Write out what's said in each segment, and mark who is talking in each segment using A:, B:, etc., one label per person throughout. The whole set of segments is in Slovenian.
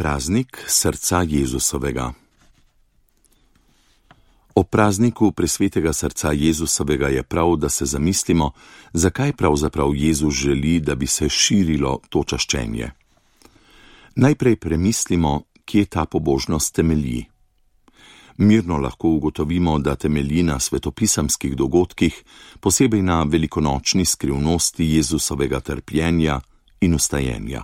A: praznik srca Jezusovega. Ob prazniku presvetega srca Jezusovega je prav, da se zamislimo, zakaj pravzaprav Jezus želi, da bi se širilo to čaščenje. Najprej premislimo, kje ta pobožnost temelji. Mirno lahko ugotovimo, da temelji na svetopisemskih dogodkih, posebej na velikonočni skrivnosti Jezusovega trpljenja in vstajenja.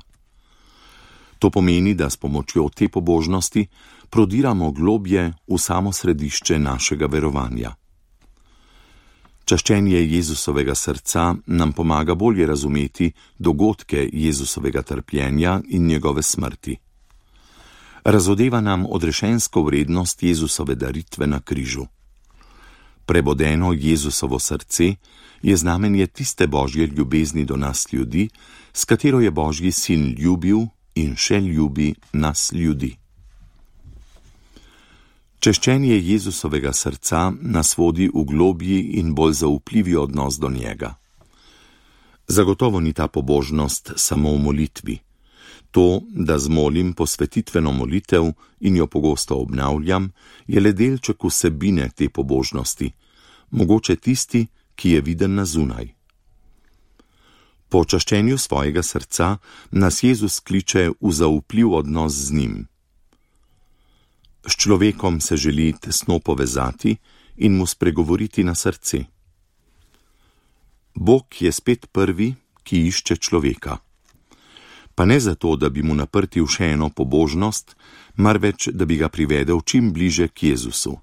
A: To pomeni, da s pomočjo te pobožnosti prodiramo globje v samo središče našega verovanja. Čaščenje Jezusovega srca nam pomaga bolje razumeti dogodke Jezusovega trpljenja in njegove smrti. Razodeva nam odrešensko vrednost Jezusove daritve na križu. Prebodeno Jezusovo srce je znamenje tiste Božje ljubezni do nas ljudi, s katero je Božji sin ljubil in še ljubi nas ljudi. Čaščenje Jezusovega srca nas vodi v globji in bolj zaupljivi odnos do njega. Zagotovo ni ta pobožnost samo v molitvi. To, da zmolim posvetitveno molitev in jo pogosto obnavljam, je le delček vsebine te pobožnosti, mogoče tisti, ki je viden na zunaj. Po čaščenju svojega srca nas Jezus kliče v zaupljiv odnos z njim. S človekom se želi tesno povezati in mu spregovoriti na srce. Bog je spet prvi, ki išče človeka. Pa ne zato, da bi mu naprtil še eno pobožnost, marveč, da bi ga privedel čim bliže k Jezusu.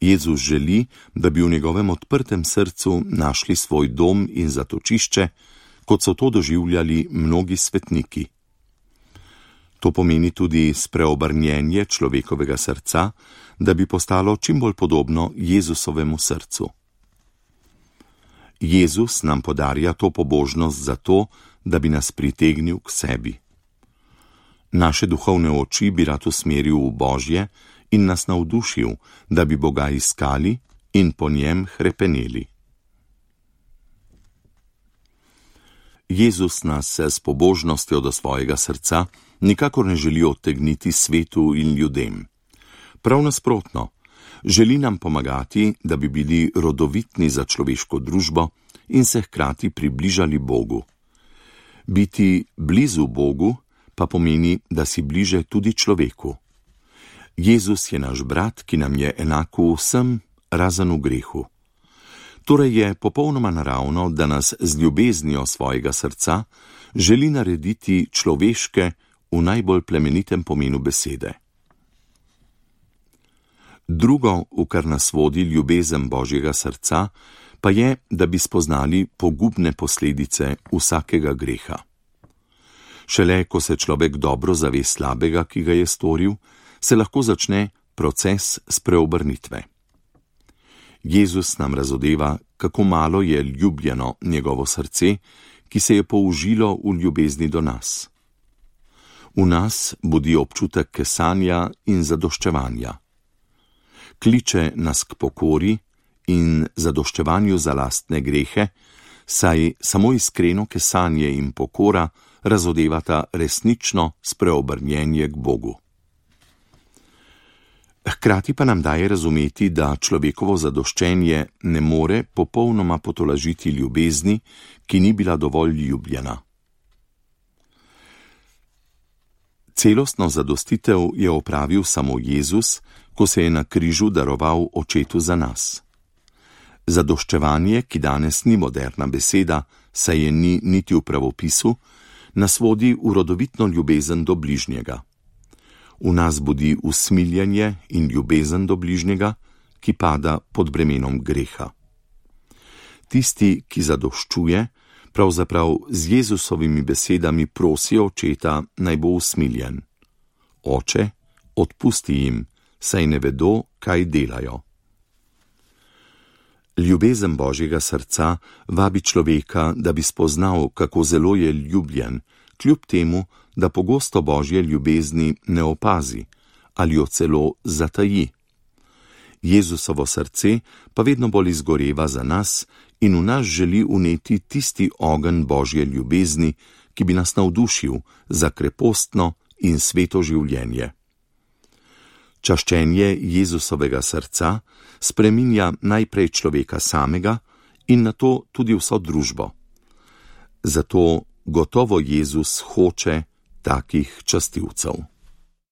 A: Jezus želi, da bi v njegovem odprtem srcu našli svoj dom in zatočišče, kot so to doživljali mnogi svetniki. To pomeni tudi spreobrnjenje človekovega srca, da bi postalo čim bolj podobno Jezusovemu srcu. Jezus nam podarja to pobožnost zato, da bi nas pritegnil k sebi. Naše duhovne oči bi rad usmeril v Božje in nas navdušil, da bi Boga iskali in po njem hrepeneli. Jezus nas s pobožnostjo do svojega srca nikakor ne želi odtegniti svetu in ljudem. Prav nasprotno, želi nam pomagati, da bi bili rodovitni za človeško družbo in se hkrati približali Bogu. Biti blizu Bogu pa pomeni, da si bliže tudi človeku. Jezus je naš brat, ki nam je enak vsem, razen v grehu. Torej je popolnoma naravno, da nas z ljubeznijo svojega srca želi narediti človeške v najbolj plemenitem pomenu besede. Drugo, v kar nas vodi ljubezen Božjega srca, pa je, da bi spoznali pogubne posledice vsakega greha. Šele, ko se človek dobro zave slabega, ki ga je storil, se lahko začne proces spreobrnitve. Jezus nam razodeva, kako malo je ljubljeno njegovo srce, ki se je použilo v ljubezni do nas. V nas budi občutek kesanja in zadoščevanja. Kliče nas k pokori in zadoščevanju za lastne grehe, saj samo iskreno kesanje in pokora razodevata resnično spreobrnjenje k Bogu. Hkrati pa nam daje razumeti, da človekovo zadoščenje ne more popolnoma potolažiti ljubezni, ki ni bila dovolj ljubljena. Celostno zadostitev je opravil samo Jezus, ko se je na križu daroval Očetu za nas. Zadoščevanje, ki danes ni moderna beseda, saj je ni niti v pravopisu, nas vodi v rodovitno ljubezen do bližnjega. V nas budi usmiljenje in ljubezen do bližnjega, ki pada pod bremenom greha. Tisti, ki zadoščuje, pravzaprav z Jezusovimi besedami prosi Očeta, naj bo usmiljen. Oče, odpusti jim, saj ne vedo, kaj delajo. Ljubezen Božjega srca vabi človeka, da bi spoznal, kako zelo je ljubljen, kljub temu, da pogosto Božje ljubezni ne opazi ali jo celo zataji. Jezusovo srce pa vedno bolj izgoreva za nas in v nas želi vneti tisti ogenj Božje ljubezni, ki bi nas navdušil za krepostno in sveto življenje. Čaščenje Jezusovega srca spreminja najprej človeka samega in nato tudi vso družbo. Zato gotovo Jezus hoče takih častilcev.